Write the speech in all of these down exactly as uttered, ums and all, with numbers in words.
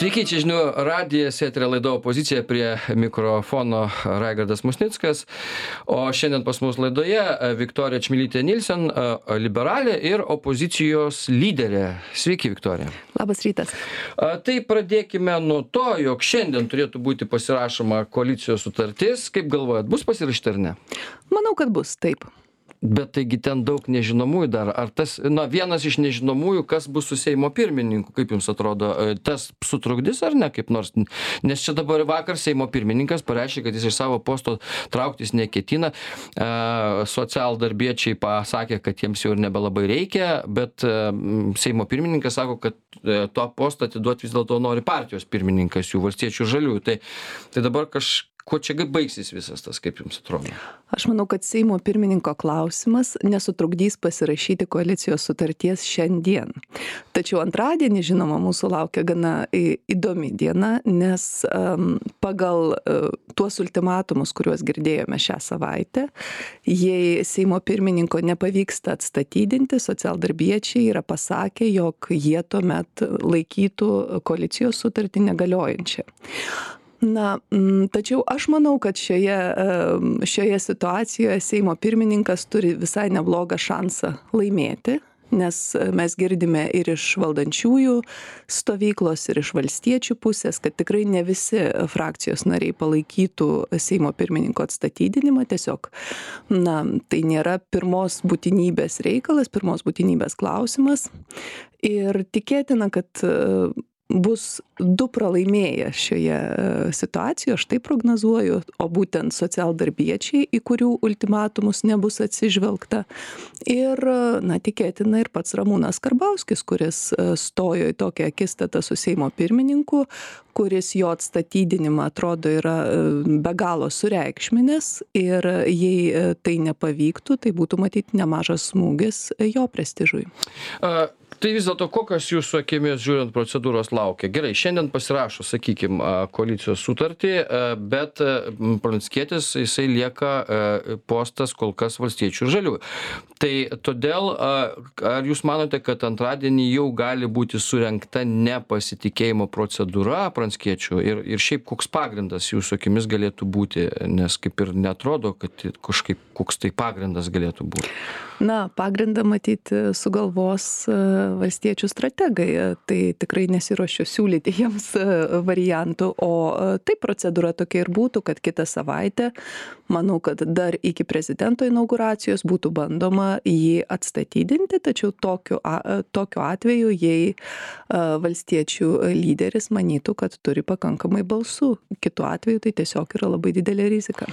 Sveiki, čia žinių radijas, eterio laida Opozicija, prie mikrofono Raigardas Musnickas. O šiandien pas mus laidoje Viktorija Čmilytė Nilsen, liberalė ir opozicijos lyderė. Sveiki, Viktorija. Labas rytas. Tai pradėkime nuo to, jog šiandien turėtų būti pasirašoma koalicijos sutartis. Kaip galvojat, bus pasirašyta ar ne? Manau, kad bus, taip. Bet taigi ten daug nežinomųjų dar. Ar tas, na, vienas iš nežinomųjų, kas bus su Seimo pirmininku, kaip jums atrodo, tas sutrukdys ar ne kaip nors? Nes čia dabar vakar Seimo pirmininkas pareiškė, kad jis iš savo posto trauktis neketina. E, socialdarbiečiai pasakė, kad jiems jau ir nebelabai reikia, bet e, Seimo pirmininkas sako, kad e, to postą atiduoti vis dėlto nori partijos pirmininkas, jų valstiečių žaliųjų. Tai, tai dabar kažkaip kuo čia baigsis visas tas, kaip jums atrodo? Aš manau, kad Seimo pirmininko klausimas nesutrukdys pasirašyti koalicijos sutarties šiandien. Tačiau antradienį, žinoma, mūsų laukia gana įdomi diena, nes um, pagal uh, tuos ultimatumus, kuriuos girdėjome šią savaitę, jei Seimo pirmininko nepavyksta atstatydinti, socialdarbiečiai yra pasakę, jog jie tuomet laikytų koalicijos sutartį negaliojančią. Na, tačiau aš manau, kad šioje, šioje situacijoje Seimo pirmininkas turi visai neblogą šansą laimėti, nes mes girdime ir iš valdančiųjų stovyklos, ir iš valstiečių pusės, kad tikrai ne visi frakcijos nariai palaikytų Seimo pirmininko atstatydinimą. Tiesiog, na, tai nėra pirmos būtinybės reikalas, pirmos būtinybės klausimas. Ir tikėtina, kad bus du pralaimėję šioje situacijoje, aš tai prognozuoju, o būtent socialdarbiečiai, į kurių ultimatumus nebus atsižvelgta. Ir, na, tikėtina ir pats Ramūnas Karbauskis, kuris stojo į tokią akistatą su Seimo pirmininku, kuris jo atstatydinimą atrodo yra be galo sureikšminęs, ir jei tai nepavyktų, tai būtų matyti nemažas smūgis jo prestižui. Uh. Tai vis dėlto, kokios jūsų akimis žiūrint procedūros laukia? Gerai, šiandien pasirašo, sakykime, koalicijos sutartį, bet Pranckietis, jisai lieka postas kol kas valstiečių ir žaliųjų. Tai todėl, ar jūs manote, kad antradienį jau gali būti surengta nepasitikėjimo procedūra Pranckiečių ir, ir šiaip koks pagrindas jūsų akimis galėtų būti, nes kaip ir netrodo, kad kažkaip koks tai pagrindas galėtų būti? Na, pagrindą matyti sugalvos valstiečių strategai, tai tikrai nesiruošiu siūlyti jiems variantų, o taip procedūra tokia ir būtų, kad kitą savaitę, manau, kad dar iki prezidento inauguracijos būtų bandoma jį atstatydinti, tačiau tokiu, tokiu atveju, jei valstiečių lyderis manytų, kad turi pakankamai balsų, kitu atveju tai tiesiog yra labai didelė rizika.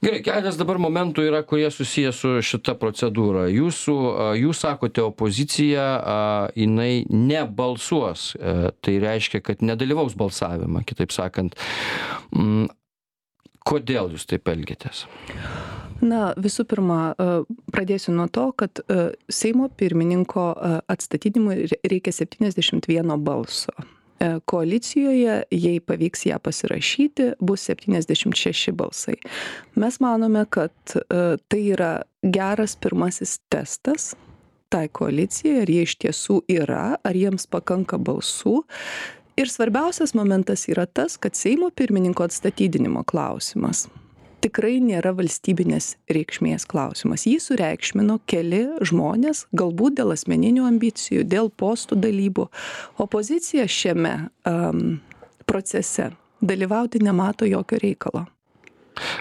Gerai, keletas dabar momentų yra, kurie susiję su šita procedūra. Jūsų, jūs sakote, opozicija, jinai nebalsuos, tai reiškia, kad nedalyvaus balsavimą, kitaip sakant. Kodėl jūs taip elgiatės? Na, visų pirma, pradėsiu nuo to, kad Seimo pirmininko atstatydinimui reikia septyniasdešimt vieno balso. Koalicijoje, jei pavyks ją pasirašyti, bus septyniasdešimt šeši balsai. Mes manome, kad tai yra geras pirmasis testas tai koalicijai, ar jie iš tiesų yra, ar jiems pakanka balsų. Ir svarbiausias momentas yra tas, kad Seimo pirmininko atstatydinimo klausimas tikrai nėra valstybinės reikšmės klausimas. Jį sureikšmino keli žmonės, galbūt dėl asmeninių ambicijų, dėl postų dalybų. Opozicija šiame um, procese dalyvauti nemato jokio reikalo.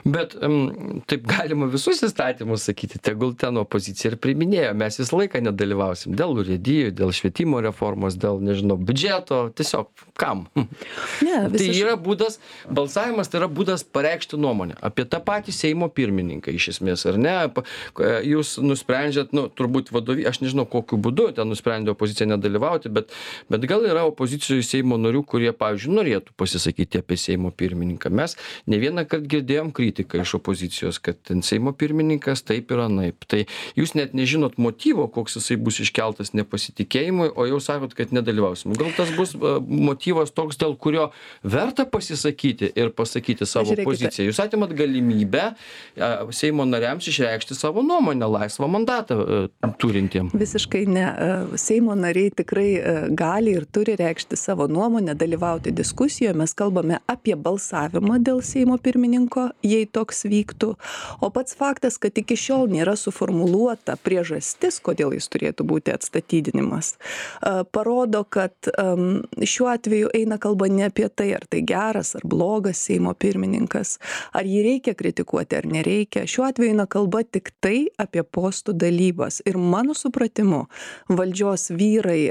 Bet um, taip galima visus įstatymus sakyti, tegul ten opozicija ir priiminėjo, mes visą laiką nedalyvausim dėl urėdijų, dėl švietimo reformos, dėl, nežinau, biudžeto, tiesiog kam? Ne, tai yra būdas, balsavimas tai yra būdas pareikšti nuomonę apie tą patį Seimo pirmininką iš esmės, ar ne? Jūs nusprendžiat, nu, turbūt vadovy, aš nežinau kokiu būdu ten nusprendė opozicija nedalyvauti, bet, bet gal yra opozicijoje Seimo narių, kurie, pavyzdžiui, norėtų pasisakyti apie Seimo pirmininką. Mes ne vieną kartą girdėjome girdėjom kritiką iš opozicijos, kad ten Seimo pirmininkas taip ir anaip. Tai jūs net nežinot motyvo, koks jisai bus iškeltas nepasitikėjimui, o jau sakot, kad nedalyvausim. Gal tas bus motyvas toks, dėl kurio verta pasisakyti ir pasakyti savo Žiūrėkite. poziciją. Jūs atimat galimybę Seimo nariams išreikšti savo nuomonę, laisvą mandatą turintiem. Visiškai ne. Seimo nariai tikrai gali ir turi reikšti savo nuomonę, dalyvauti diskusijoje. Mes kalbame apie balsavimą dėl Seimo pirmininko, jei toks vyktų. O pats faktas, kad iki šiol nėra suformuluota priežastis, kodėl jis turėtų būti atstatydinimas, parodo, kad šiuo atveju eina kalba ne apie tai, ar tai geras ar blogas Seimo pirmininkas, ar jį reikia kritikuoti ar nereikia. Šiuo atveju eina kalba tik tai apie postų dalybas. Ir mano supratimu, valdžios vyrai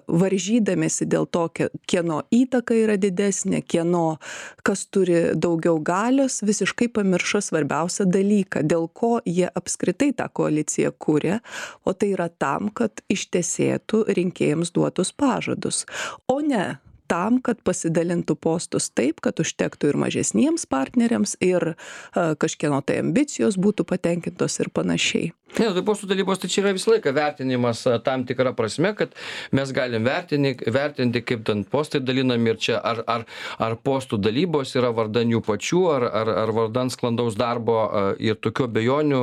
varžydamėsi dėl to, kieno įtaka yra didesnė, kieno kas turi daugiau galios, visiškai pamiršo svarbiausią dalyką, dėl ko jie apskritai tą koaliciją kūrė, o tai yra tam, kad ištesėtų rinkėjams duotus pažadus, o ne tam, kad pasidalintų postus taip, kad užtektų ir mažesniems partneriams, ir a, kažkieno tai ambicijos būtų patenkintos ir panašiai. Ne, tai postų dalybos, tai čia yra visą laiką vertinimas tam tikrą prasme, kad mes galim vertinti, vertinti kaip ten postai dalinami ir čia ar, ar, ar postų dalybos yra vardan jų pačių, ar, ar, ar vardan sklandaus darbo ir tokių abejonių,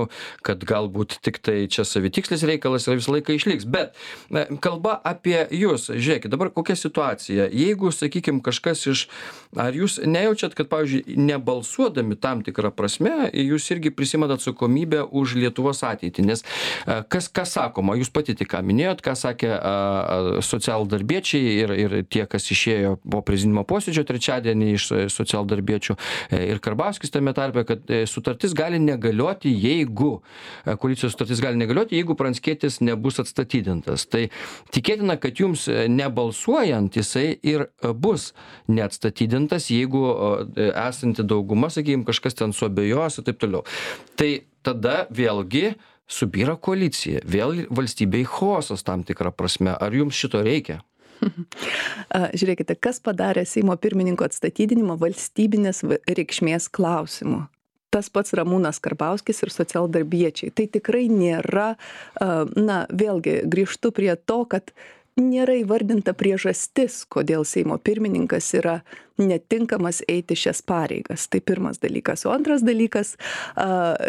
kad galbūt tik tai čia savitikslis reikalas yra visą laiką išliks. Bet kalba apie jūs, žiūrėkit, dabar kokia situacija. Jeigu, sakykime, kažkas iš, ar jūs nejaučiat, kad, pavyzdžiui, nebalsuodami tam tikrą prasme, jūs irgi prisimat atsakomybę už Lietuvos ateitį? Nes kas, kas sakoma, jūs pati tik ką minėjot, ką sakė socialdarbiečiai ir, ir tie, kas išėjo po prezidiumo posėdžio trečiadienį iš socialdarbiečių ir Karbauskis tame tarpe, kad sutartis gali negalioti, jeigu, koalicijos sutartis gali negalioti, jeigu Pranckietis nebus atstatydintas. Tai tikėtina, kad jums nebalsuojant jisai ir bus neatstatydintas, jeigu esanti dauguma, sakykime, kažkas ten suabejos ir taip toliau. Tai tada vėlgi subyra koalicija, vėl valstybei chaosas tam tikrą prasme. Ar jums šito reikia? Žiūrėkite, kas padarė Seimo pirmininko atstatydinimą valstybinės reikšmės klausimu. Tas pats Ramūnas Karbauskis ir socialdarbiečiai. Tai tikrai nėra, na, vėlgi grįžtu prie to, kad nėra įvardinta priežastis, kodėl Seimo pirmininkas yra netinkamas eiti šias pareigas. Tai pirmas dalykas. O antras dalykas,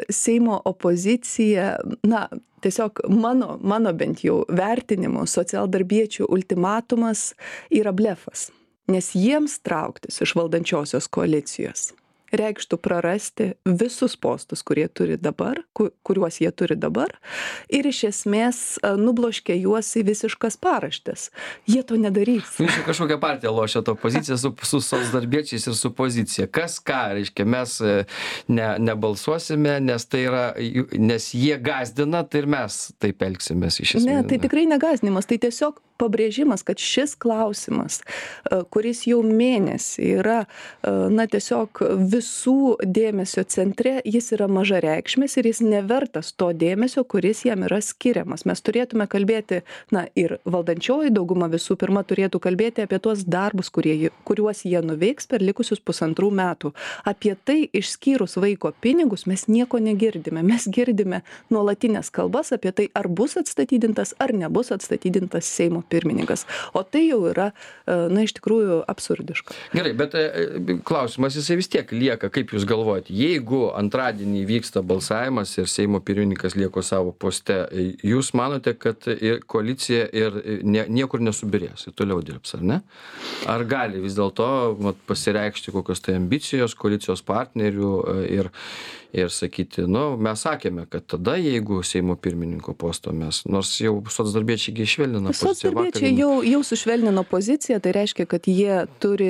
Seimo opozicija, na, tiesiog mano, mano bent jau vertinimu, socialdarbiečių ultimatumas yra blefas, nes jiems trauktis iš valdančiosios koalicijos reikštų prarasti visus postus, kurie turi dabar, kuriuos jie turi dabar, ir iš esmės nubloškia juos į visiškas paraštes. Jie to nedarys. Jūs kažkokią partiją lošia to poziciją su, su socialdarbiečiais ir su pozicija. Kas ką, reiškia, mes ne, nebalsuosime, nes tai yra, nes jie gazdina, tai ir mes taip elgsimės iš esmės. Ne, tai tikrai negazdinimas, tai tiesiog pabrėžimas, kad šis klausimas, kuris jau mėnesį yra, na, tiesiog visų dėmesio centre, jis yra mažareikšmis ir jis nevertas to dėmesio, kuris jam yra skiriamas. Mes turėtume kalbėti, na, ir valdančioji dauguma visų pirma turėtų kalbėti apie tuos darbus, kurie, kuriuos jie nuveiks per likusius pusantrų metų. Apie tai išskyrus vaiko pinigus mes nieko negirdime. Mes girdime nuolatinės kalbas apie tai, ar bus atstatydintas, ar nebus atstatydintas Seimo pirmininkas. O tai jau yra, na, iš tikrųjų absurdiška. Gerai, bet klausimas jisai vis tiek lieka, kaip jūs galvojate, jeigu antradienį vyksta balsavimas ir Seimo pirmininkas lieko savo poste, jūs manote, kad koalicija ir nie, niekur nesubirės, ir toliau dirbs, ar ne? Ar gali vis dėlto pasireikšti kokios tai ambicijos koalicijos partnerių ir ir sakyti, nu, mes sakėme, kad tada, jeigu Seimo pirmininko posto mes, nors jau socdarbiečiai išvelnino poziciją. Socdarbiečiai jau, jau sušvelnino poziciją, tai reiškia, kad jie turi,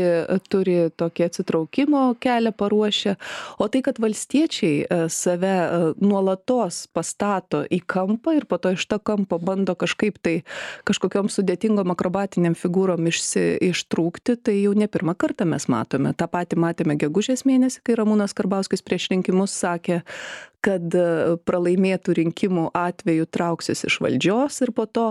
turi tokį atsitraukimo kelią paruošę, o tai, kad valstiečiai save nuolatos pastato į kampą ir po to iš to kampo bando kažkaip tai kažkokiom sudėtingom akrobatiniam figūrom išsi, ištrūkti, tai jau ne pirmą kartą mes matome. Ta patį matėme gegužės mėnesį, kai Ramūnas Karbauskis prieš rinkimus sakė, kad pralaimėtų rinkimų atveju trauksis iš valdžios ir po to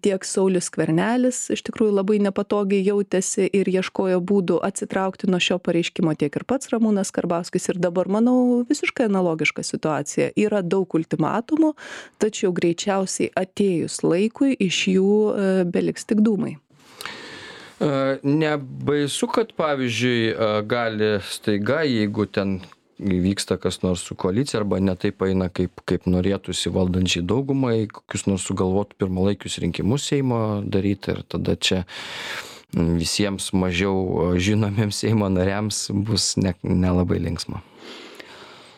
tiek Saulius Skvernelis iš tikrųjų labai nepatogiai jautėsi ir ieškojo būdų atsitraukti nuo šio pareiškimo, tiek ir pats Ramūnas Karbauskis. Ir dabar, manau, visiškai analogiška situacija. Yra daug ultimatumų, tačiau greičiausiai atėjus laikui iš jų beliks tik dūmai. Nebaisu, kad pavyzdžiui gali staiga, jeigu ten vyksta kas nors su koalicija arba ne taip eina, kaip, kaip norėtųsi valdančiai daugumai, kokius nors sugalvotų pirmalaikius rinkimus Seimo daryti ir tada čia visiems mažiau žinomiems Seimo nariams bus ne, nelabai linksma.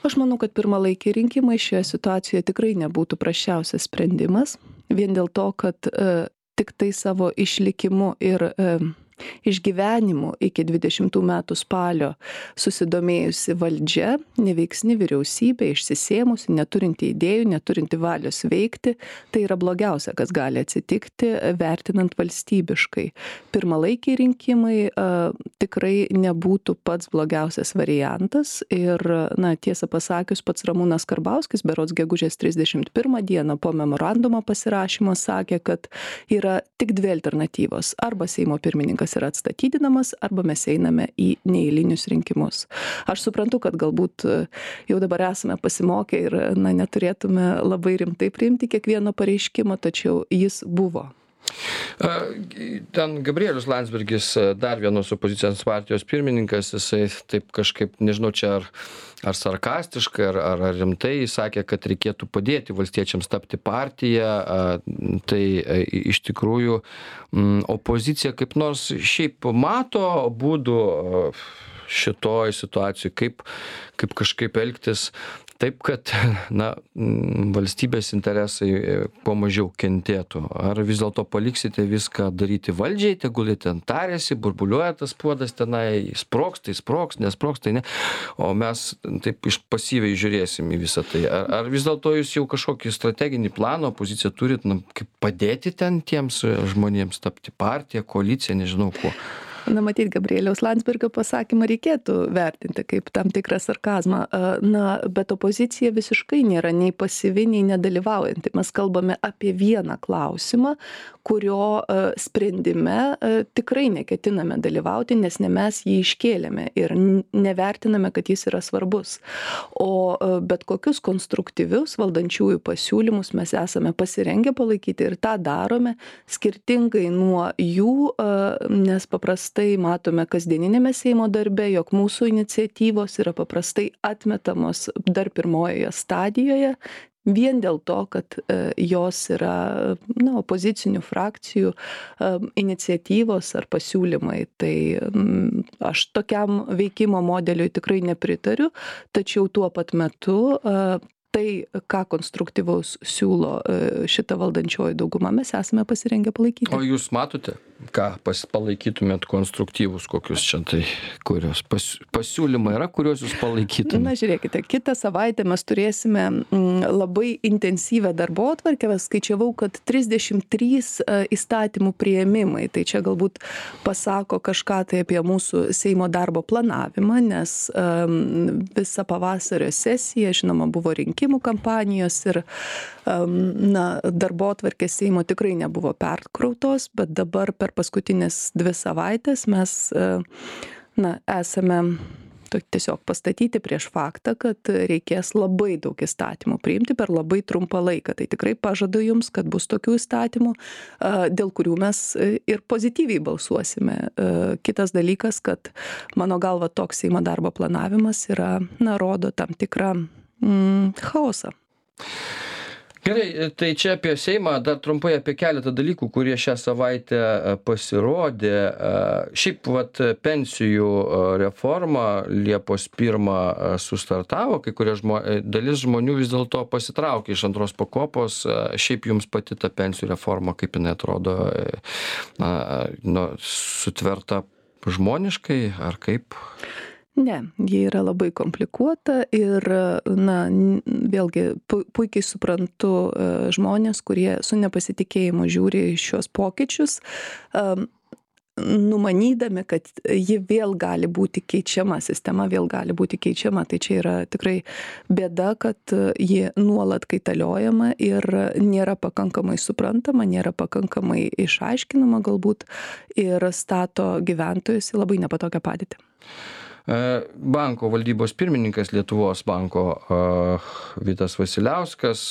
Aš manau, kad pirmalaikiai rinkimai šioje situacijoje tikrai nebūtų prasčiausias sprendimas, vien dėl to, kad e, tik tai savo išlikimu ir e, išgyvenimu iki dvidešimtų metų spalio susidomėjusi valdžia, neveiksni vyriausybė, išsisėmusi, neturinti idėjų, neturinti valios veikti, tai yra blogiausia, kas gali atsitikti, vertinant valstybiškai. Pirmalaikiai rinkimai a, tikrai nebūtų pats blogiausias variantas ir, na, tiesą pasakius, pats Ramūnas Karbauskis berods gegužės trisdešimt pirmą dieną po memorandumo pasirašymo sakė, kad yra tik dvi alternatyvos. Arba Seimo pirmininkas yra atstatydinamas, arba mes einame į neeilinius rinkimus. Aš suprantu, kad galbūt jau dabar esame pasimokę ir, na, neturėtume labai rimtai priimti kiekvieno pareiškimo, tačiau jis buvo. Ten Gabrielius Landsbergis, dar vienos opozicijos partijos pirmininkas, jisai taip kažkaip, nežinau, čia ar, ar sarkastiškai, ar, ar, ar rimtai sakė, kad reikėtų padėti valstiečiams tapti partiją. Tai iš tikrųjų opozicija kaip nors šiaip mato būdų šitoj situacijoj, kaip, kaip kažkaip elgtis taip, kad, na, valstybės interesai kuo mažiau kentėtų. Ar vis dėlto paliksite viską daryti valdžiai, tegul jie ten tarėsi, burbuliuoja tas puodas tenai, sprogs, tai sprogs, nesprogs, tai ne. O mes taip iš pasyviai žiūrėsim į visą tai. Ar, ar vis dėlto jūs jau kažkokį strateginį planą, opoziciją turit, na, kaip padėti ten tiems žmonėms tapti partiją, koaliciją, nežinau kuo? Na, matyt, Gabrieliaus Landsbergio pasakymą reikėtų vertinti kaip tam tikrą sarkazmą. Na, bet opozicija visiškai nėra nei pasyvi, nei nedalyvaujanti. Mes kalbame apie vieną klausimą, kurio sprendime tikrai neketiname dalyvauti, nes ne mes jį iškėlėme ir nevertiname, kad jis yra svarbus. O bet kokius konstruktyvius valdančiųjų pasiūlymus mes esame pasirengę palaikyti ir tą darome skirtingai nuo jų, nes paprastai tai matome kasdieninėme Seimo darbe, jog mūsų iniciatyvos yra paprastai atmetamos dar pirmojoje stadijoje, vien dėl to, kad jos yra, na, opozicinių frakcijų iniciatyvos ar pasiūlymai. Tai aš tokiam veikimo modeliui tikrai nepritariu, tačiau tuo pat metu tai, ką konstruktyvaus siūlo šita valdančioji dauguma, mes esame pasirengę palaikyti. O jūs matote, ką pas, palaikytumėt konstruktyvus, kokius čia tai, kurios pas, pasiūlymai yra, kuriuos jūs palaikytumėt? Na, žiūrėkite, kitą savaitę mes turėsime m, labai intensyvę darbotvarkę. Skaičiavau, kad trisdešimt trys įstatymų priėmimai. Tai čia galbūt pasako kažką tai apie mūsų Seimo darbo planavimą, nes um, visą pavasario sesiją, žinoma, buvo rinkimų kampanijos ir um, na, darbotvarkės Seimo tikrai nebuvo perkrautos, bet dabar per paskutinės dvi savaitės mes na, esame tiesiog pastatyti prieš faktą, kad reikės labai daug įstatymų priimti per labai trumpą laiką. Tai tikrai pažadu jums, kad bus tokių įstatymų, dėl kurių mes ir pozityviai balsuosime. Kitas dalykas, kad mano galva toks Seimo darbo planavimas yra, na, rodo tam tikrą mm, chaosą. Gerai, tai čia apie Seimą, dar trumpai apie keletą dalykų, kurie šią savaitę pasirodė. Šiaip vat pensijų reforma Liepos pirmą sustartavo, kai kurie žmo, dalis žmonių vis dėlto pasitraukė iš antros pakopos. Šiaip jums pati ta pensijų reforma, kaip jinai atrodo, na, nu, sutverta žmoniškai ar kaip? Ne, jie yra labai komplikuota ir, na, vėlgi puikiai suprantu žmonės, kurie su nepasitikėjimu žiūri šios pokyčius. numanydami, kad ji vėl gali būti keičiama, sistema vėl gali būti keičiama. Tai čia yra tikrai bėda, kad ji nuolat kaitaliojama ir nėra pakankamai suprantama, nėra pakankamai išaiškinama galbūt ir stato gyventojus į labai nepatogią padėtį. Banko valdybos pirmininkas Lietuvos banko Vitas Vasiliauskas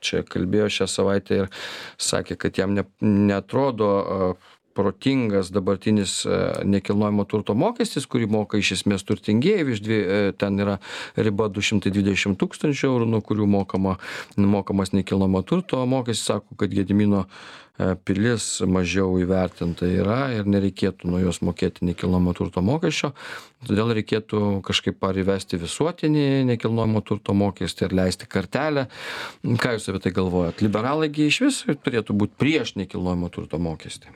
čia kalbėjo šią savaitę ir sakė, kad jam ne, neatrodo protingas dabartinis nekilnojamo turto mokestis, kurį moka iš esmės turtingieji, iš dvi, ten yra riba du šimtai dvidešimt tūkstančių eurų, nuo kurių mokama, mokamas nekilnojamo turto mokestis, sako, kad Gedimino pilis mažiau įvertinta yra ir nereikėtų nuo jos mokėti nekilnojamo turto mokesčio, todėl reikėtų kažkaip ar įvesti visuotinį nekilnojamo turto mokestį ir leisti kartelę. Ką jūs apie tai galvojat? Liberalai gi iš vis turėtų būti prieš nekilnojamo turto mokestį.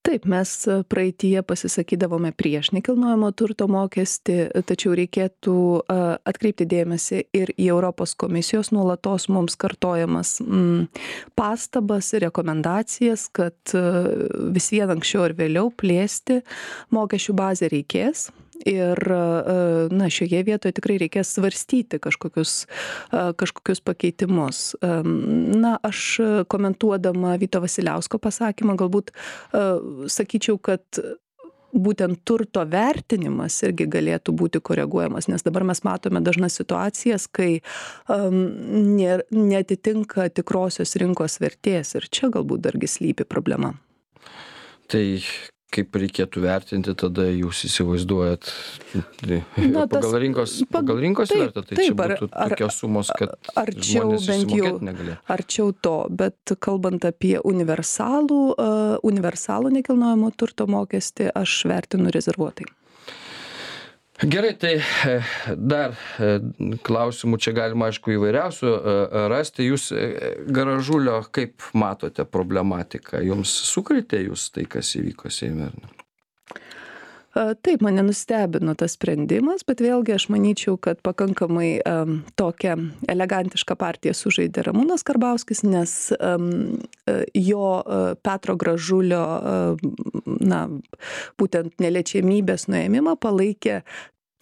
Taip, mes praeityje pasisakydavome prieš nekilnojamo turto mokestį, tačiau reikėtų atkreipti dėmesį ir į Europos komisijos nuolatos mums kartojamas mm, pastabas ir rekomendacijas, kad vis vien anksčiau ir vėliau plėsti mokesčių bazę reikės. Ir na, šioje vietoje tikrai reikės svarstyti kažkokius, kažkokius pakeitimus. Na, aš komentuodama Vyto Vasiliausko pasakymą galbūt sakyčiau, kad būtent turto vertinimas irgi galėtų būti koreguojamas, nes dabar mes matome dažnas situacijas, kai um, neatitinka tikrosios rinkos vertės ir čia galbūt dargi slypi problema. Tai kaip reikėtų vertinti, tada jūs įsivaizduojat Na, tas, pagal rinkos, pagal rinkos taip, vertę, tai taip, čia būtų ar, tokios sumos, kad arčiau žmonės bent jau susimokėti negalėtų. Arčiau to, bet kalbant apie universalų, uh, universalų nekilnojamo turto mokestį, aš vertinu rezervuotai. Gerai, tai dar klausimų čia galima, aišku, įvairiausių rasti. Jūs Garažulio kaip matote problematiką? Jums sukrėtė jūs tai, kas įvyko Seime? Taip, mane nustebino tas sprendimas, bet vėlgi aš manyčiau, kad pakankamai um, tokią elegantišką partiją sužaidė Ramūnas Karbauskis, nes um, jo uh, Petro Gražulio uh, na, būtent neliečiamybės nuėmimą palaikė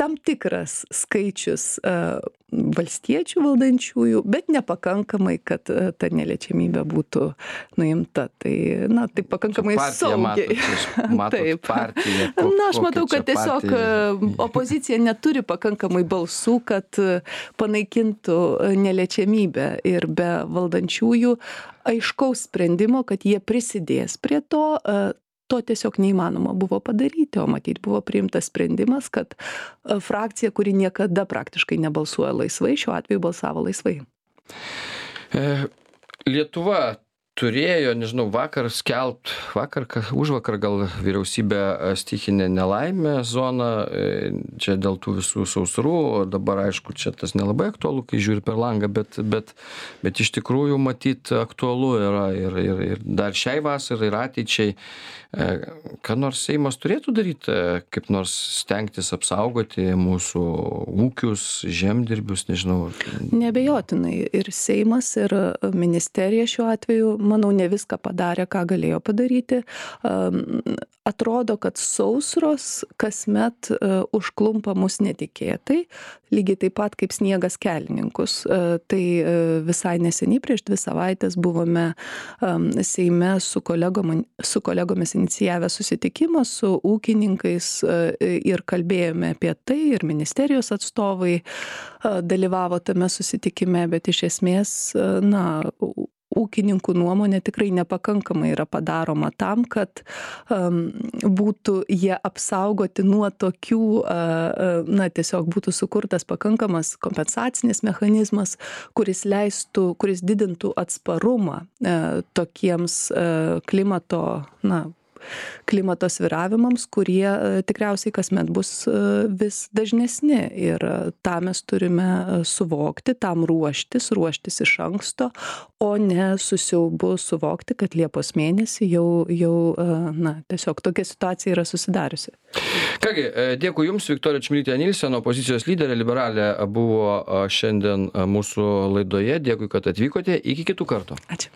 tam tikras skaičius uh, valstiečių valdančiųjų, bet nepakankamai, kad uh, ta neliečiamybė būtų nuimta. Tai, na, tai pakankamai saugiai. Matot, matot Taip. partiją. Ko, na, aš matau, kad tiesiog partija? opozicija neturi pakankamai balsų, kad panaikintų neliečiamybę ir be valdančiųjų aiškaus sprendimo, kad jie prisidės prie to, uh, to tiesiog neįmanoma buvo padaryti, o matyt buvo priimtas sprendimas, kad frakcija, kuri niekada praktiškai nebalsuoja laisvai, šiuo atveju balsavo laisvai. Lietuva turėjo, nežinau, vakar skelbt, vakar, užvakar gal vyriausybė stichinė nelaimė zoną, čia dėl tų visų sausrų, dabar aišku, čia tas nelabai aktualu, kai žiūri per langą, bet, bet, bet iš tikrųjų matyt aktualu yra ir, ir, ir dar šiai vasarai ir ateičiai. Ką nors Seimas turėtų daryti, kaip nors stengtis apsaugoti mūsų ūkius, žemdirbius, nežinau. Neabejotinai ir Seimas, ir ministerija šiuo atveju, manau, ne viską padarė, ką galėjo padaryti. Atrodo, kad sausros kasmet užklumpa mus netikėtai, lygiai taip pat kaip sniegas kelininkus. Tai visai neseniai, prieš dvi savaitės buvome Seime su, kolegom, su kolegomis inicijavę susitikimą su ūkininkais ir kalbėjome apie tai, ir ministerijos atstovai dalyvavo tame susitikime, bet iš esmės, na, ūkininkų nuomonė tikrai nepakankamai yra padaroma tam, kad um, būtų jie apsaugoti nuo tokių, uh, na, tiesiog būtų sukurtas pakankamas kompensacinis mechanizmas, kuris leistų, kuris didintų atsparumą uh, tokiems uh, klimato, na, klimato svyravimams, kurie tikriausiai kasmet bus vis dažnesni. Ir tą mes turime suvokti, tam ruoštis, ruoštis iš anksto, o ne su siaubu suvokti, kad Liepos mėnesį jau, jau na, tiesiog tokia situacija yra susidariusi. Kągi, dėkui Jums, Viktorija Čmilytė Nilsen, opozicijos lyderė, liberalė, buvo šiandien mūsų laidoje. Dėkui, kad atvykote. Iki kitų kartų. Ačiū.